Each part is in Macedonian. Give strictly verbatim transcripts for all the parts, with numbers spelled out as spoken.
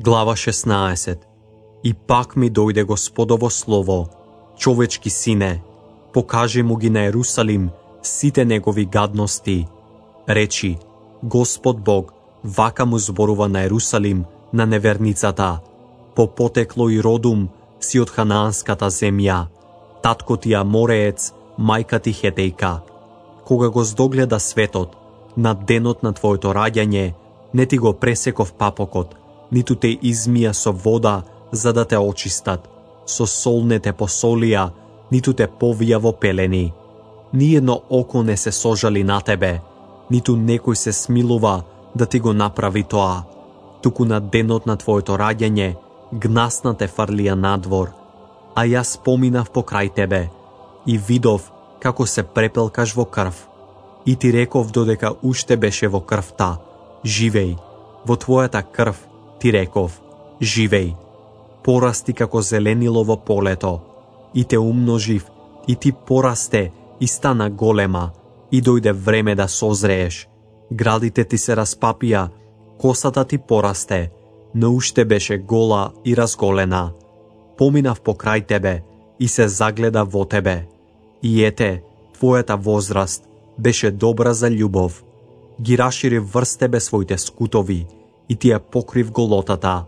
Глава шеснаесет. И пак ми дојде Господово слово: човечки сине, покажи му ги на Ерусалим сите негови гадности. Речи: Господ Бог вака му зборува на Ерусалим, на неверницата: по потекло и родум си од ханаанската земја, татко ти Амореец, мајка ти Хетејка. Кога го здогледа светот, на денот на твоето раѓање, не ти го пресеков папокот, ниту те измија со вода за да те очистат, со сол не те посолија, ниту те повија во пелени. Ниедно око не се сожали на тебе, ниту некој се смилува да ти го направи тоа. Туку на денот на твоето раѓање, гнасна те фрлија надвор. А јас поминав покрај тебе и видов како се препелкаш во крв. И ти реков додека уште беше во крвта: живеј, во твојата крв ти реков: живеј. Порасти како зеленило во полето, и те умножив, и ти порасте и стана голема, и дојде време да созрееш. Градите ти се распапија, косата ти порасте, но уште беше гола и разголена. Поминав покрај тебе и се загледа во тебе. И ете, твојата возраст беше добра за љубов. Ги рашири врз тебе своите скутови и ти ја покрив голотата.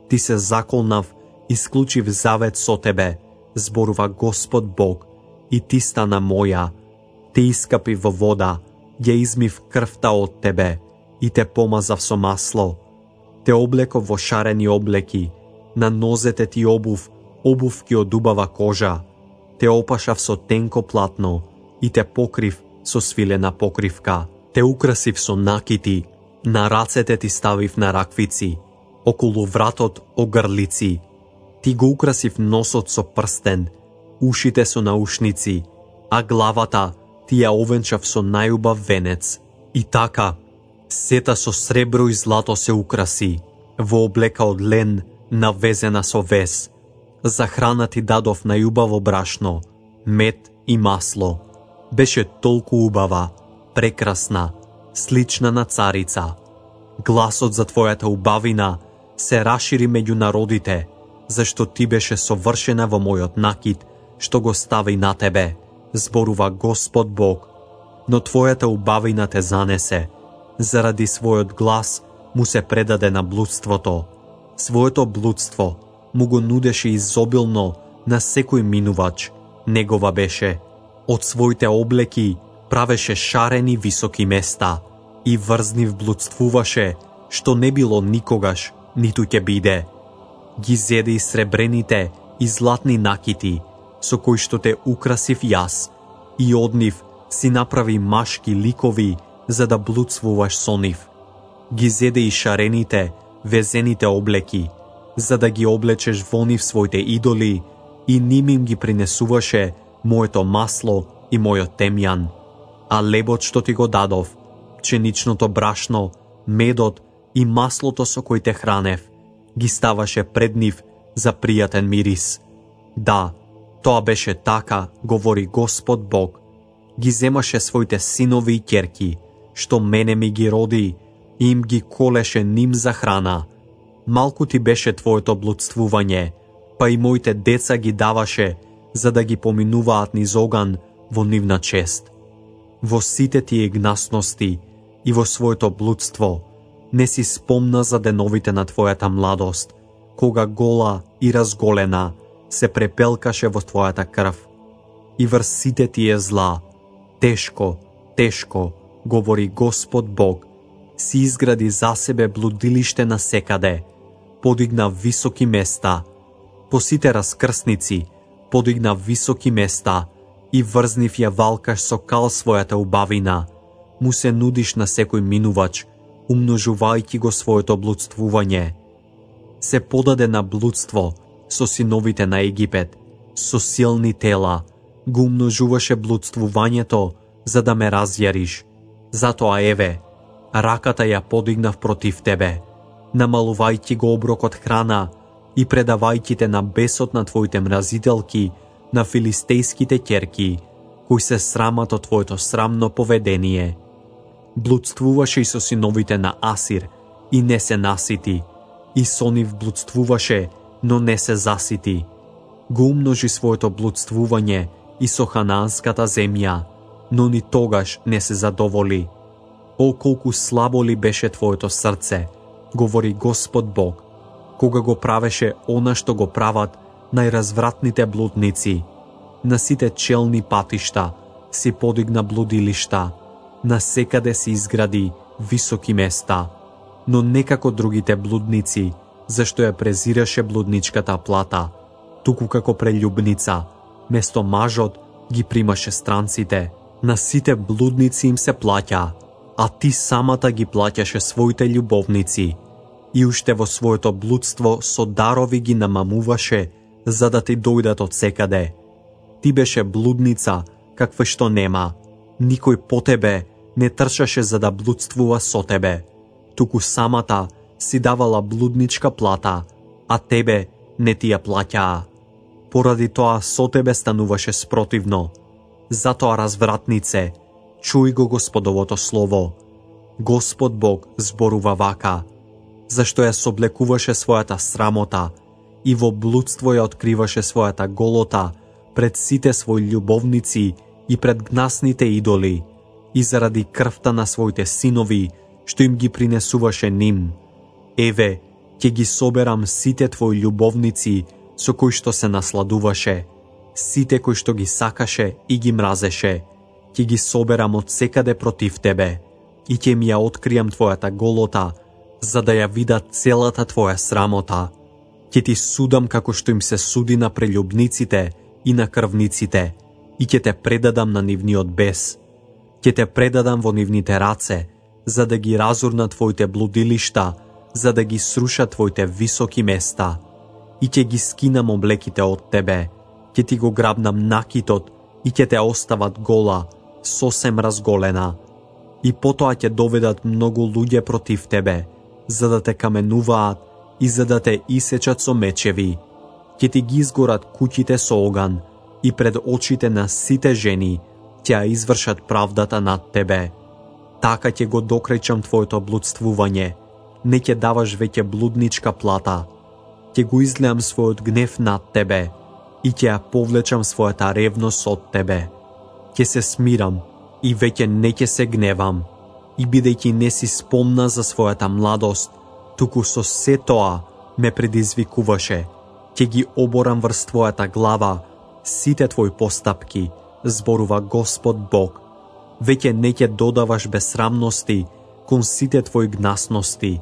Ти се заколнав и склучив завет со тебе, зборува Господ Бог, и ти стана моја. Те искапи во вода, ја измив крвта од тебе и те помазав со масло. Те облеков во шарени облеки, на нозете ти обув, обувки од убава кожа. Те опашав со тенко платно и те покрив со свилена покривка. Те украсив со накити, на рацете ти ставив на раквици, околу вратот огрлици. Ти го украсив носот со прстен, ушите со наушници, а главата ти ја овенчав со најубав венец. И така, сета со сребро и злато се украси, во облека од лен, навезена со вез. За храна ти дадов најубаво брашно, мед и масло. Беше толку убава, прекрасна, слична на царица. Гласот за твојата убавина се рашири меѓу народите, зашто ти беше совршена во мојот накид, што го стави на тебе, зборува Господ Бог. Но твојата убавина те занесе, заради својот глас му се предаде на блудството. Своето блудство му го нудеше изобилно на секој минувач, негова беше. Од своите облеки правеше шарени високи места и врзнив блудствуваше, што не било никогаш, ниту ќе биде. Ги зеде и сребрените и златни накити, со кои што те украсив јас, и од нив си направи машки ликови, за да блудствуваш со нив. Ги зеде и шарените, везените облеки, за да ги облечеш во нив своите идоли, и ним им ги принесуваше моето масло и мојот темјан. А лебот што ти го дадов, пченичното брашно, медот и маслото со кој те хранев, ги ставаше пред нив за пријатен мирис. Да, тоа беше така, говори Господ Бог. Ги земаше своите синови и ќерки, што мене ми ги роди, и им ги колеше ним за храна. Малку ти беше твоето блудствување, па и моите деца ги даваше, за да ги поминуваат низ оган во нивна чест. Во сите тие гнасности и во своето блудство не си спомна за деновите на твојата младост, кога гола и разголена се препелкаше во твојата крв. И врз сите тие зла, тешко, тешко, говори Господ Бог, си изгради за себе блудилиште на секаде, подигна високи места, по сите раскрсници подигна високи места и врзнив ја валкаш со кал својата убавина. Му се нудиш на секој минувач, умножувајќи го своето блудствување. Се подаде на блудство со синовите на Египет, со силни тела, го умножуваше блудствувањето за да ме разјариш. Затоа еве, раката ја подигнав против тебе, намалувајќи го оброкот храна и предавајќи те на бесот на твоите мразителки, на филистејските ќерки, кои се срамат од твоето срамно поведение. Блудствуваше и со синовите на Асир и не се насити, и со нив блудствуваше, но не се засити. Го умножи своето блудствување и со ханаанската земја, но ни тогаш не се задоволи. О, колку слабо ли беше твоето срце, говори Господ Бог, кога го правеше она што го прават најразвратните блудници. На сите челни патишта си подигна блудилишта, на секаде си изгради високи места, но не како другите блудници, зашто ја презираше блудничката плата, туку како прелюбница, место мажот ги примаше странците. На сите блудници им се плаќа, а ти самата ги плаќаше своите љубовници, и уште во своето блудство со дарови ги намамуваше, за да ти дојдат од секаде. Ти беше блудница, каква што нема. Никој по тебе не трчаше за да блудствува со тебе, туку самата си давала блудничка плата, а тебе не ти ја плаќаа. Поради тоа со тебе стануваше спротивно. Затоа, развратнице, чуј го Господовото слово. Господ Бог зборува вака, зашто ја соблекуваше својата срамота и во блудство ја откриваше својата голота пред сите своји љубовници и пред гнасните идоли, и заради крвта на своите синови, што им ги принесуваше ним. Еве, ќе ги соберам сите твои љубовници со кои што се насладуваше, сите кои што ги сакаше и ги мразеше, ќе ги соберам од секаде против тебе, и ќе ми ја откријам твојата голота, за да ја видат целата твоја срамота. Ќе ти судам како што им се суди на прелюбниците и на крвниците, и ќе те предадам на нивниот бес. Ќе те предадам во нивните раце, за да ги разурна твоите блудилишта, за да ги сруша твоите високи места. И ќе ги скинам облеките од тебе, ќе ти го грабнам накитот и ќе те остават гола, сосем разголена. И потоа ќе доведат многу луѓе против тебе, за да те каменуваат и за да те исечат со мечеви. Ќе ти ги изгорат куќите со оган и пред очите на сите жени ќе ја извршат правдата над тебе. Така ќе го докречам твоето блудствување, не ќе даваш веќе блудничка плата. Ќе го излеам својот гнев над тебе и ќе ја повлечам својата ревност од тебе. Ќе се смирам и веќе не ќе се гневам, и бидејќи не си спомна за својата младост, туку со се тоа ме предизвикуваше, ќе ги оборам врз твојата глава сите твои постапки, зборува Господ Бог. Веќе не ќе додаваш безсрамности кон сите твои гнасности.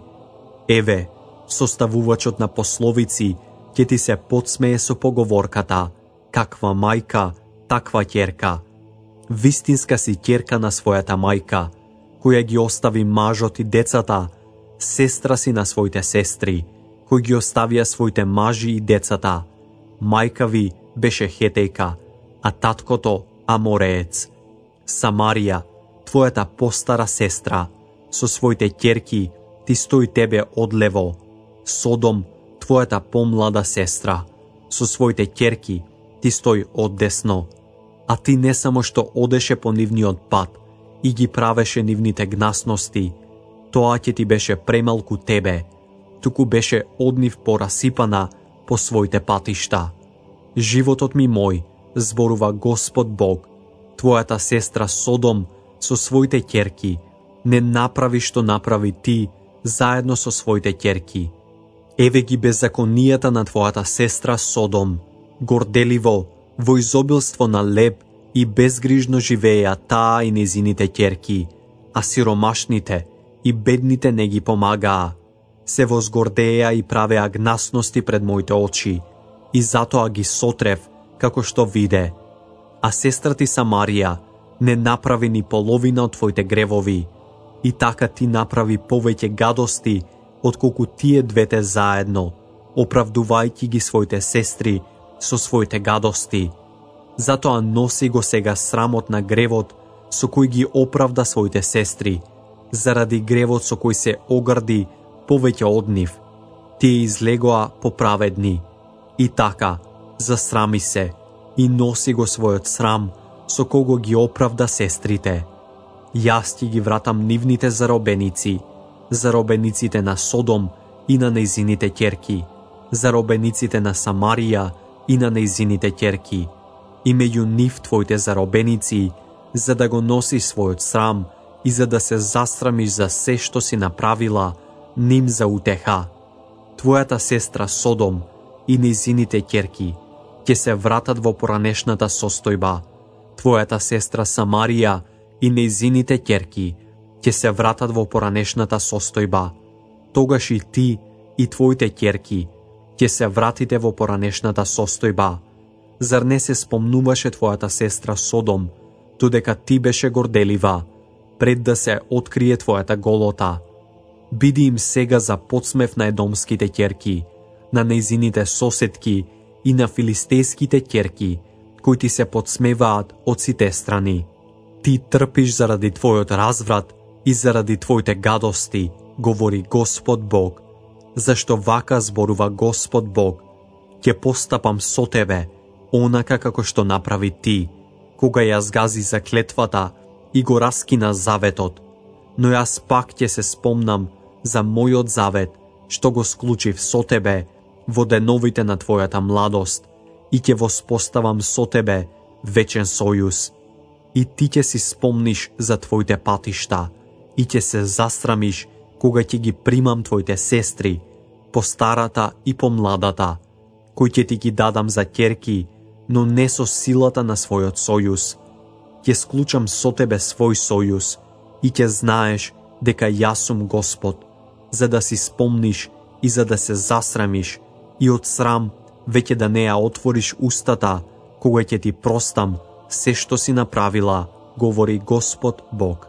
Еве, составувачот на пословици ќе ти се подсмее со поговорката: каква мајка, таква ќерка. Вистинска си ќерка на својата мајка, која ги остави мажот и децата, сестра си на своите сестри, кои ги оставија своите мажи и децата. Мајка ви беше хетејка, а таткото амореец. Самарија, твојата постара сестра, со своите ќерки ти стои тебе одлево. Содом, твојата помлада сестра, со своите ќерки ти стои оддесно. А ти не само што одеше по нивниот пат и ги правеше нивните гнасности, тоа ќе ти беше премалку тебе, туку беше од нив порасипана по своите патишта. Животот ми мој, зборува Господ Бог, твојата сестра Содом со своите ќерки не направи што направи ти заедно со своите ќерки. Еве ги беззаконијата на твојата сестра Содом, горделиво, во изобилство на леб и безгрижно живееја таа и незините ќерки, а сиромашните и бедните не ги помагаа. Се возгордеја и правеа гнасности пред моите очи, и затоа ги сотрев како што виде. А сестра ти Самарија не направи ни половина од твоите гревови, и така ти направи повеќе гадости отколку тие двете заедно, оправдувајќи ги своите сестри со своите гадости. Затоа носи го сега срамот на гревот со кој ги оправда своите сестри, заради гревот со кој се огрди повеќе од нив. Тие излегоа поправедни. И така, засрами се и носи го својот срам со кого ги оправда сестрите. Јас ти ги вратам нивните заробеници, заробениците на Содом и на нејзините ќерки, заробениците на Самарија и на нејзините ќерки, и меѓу нив твоите заробеници, за да го носи својот срам и за да се засрамиш за се што си направила, ним за утеха. Твојата сестра Содом и нејзините ќерки ќе се вратат во поранешната состојба. Твојата сестра Самарија и нејзините ќерки ќе се вратат во поранешната состојба. Тогаш и ти и твоите ќерки ќе се вратите во поранешната состојба. Зар не се спомнуваше твојата сестра Содом, додека ти беше горделива, пред да се открие твојата голота? Биди им сега за подсмев на едомските ќерки, на нејзините соседки и на филистејските ќерки, кои ти се подсмеваат од сите страни. Ти трпиш заради твојот разврат и заради твоите гадости, говори Господ Бог. Зашто вака зборува Господ Бог: ќе постапам со тебе, онака како што направи ти, кога ја згази заклетвата и го раскина заветот. Но јас пак ќе се спомнам за мојот завет, што го склучив со тебе во деновите на твојата младост, и ќе воспоставам со тебе вечен сојуз. И ти ќе си спомниш за твоите патишта и ќе се засрамиш кога ќе ги примам твоите сестри, по старата и по младата, кои ќе ти ги дадам за ќерки, но не со силата на својот сојуз. Ќе склучам со тебе свој сојуз и ќе знаеш дека јас сум Господ, за да си спомниш и за да се засрамиш и од срам веќе да не ја отвориш устата, кога ќе ти простам се што си направила, говори Господ Бог.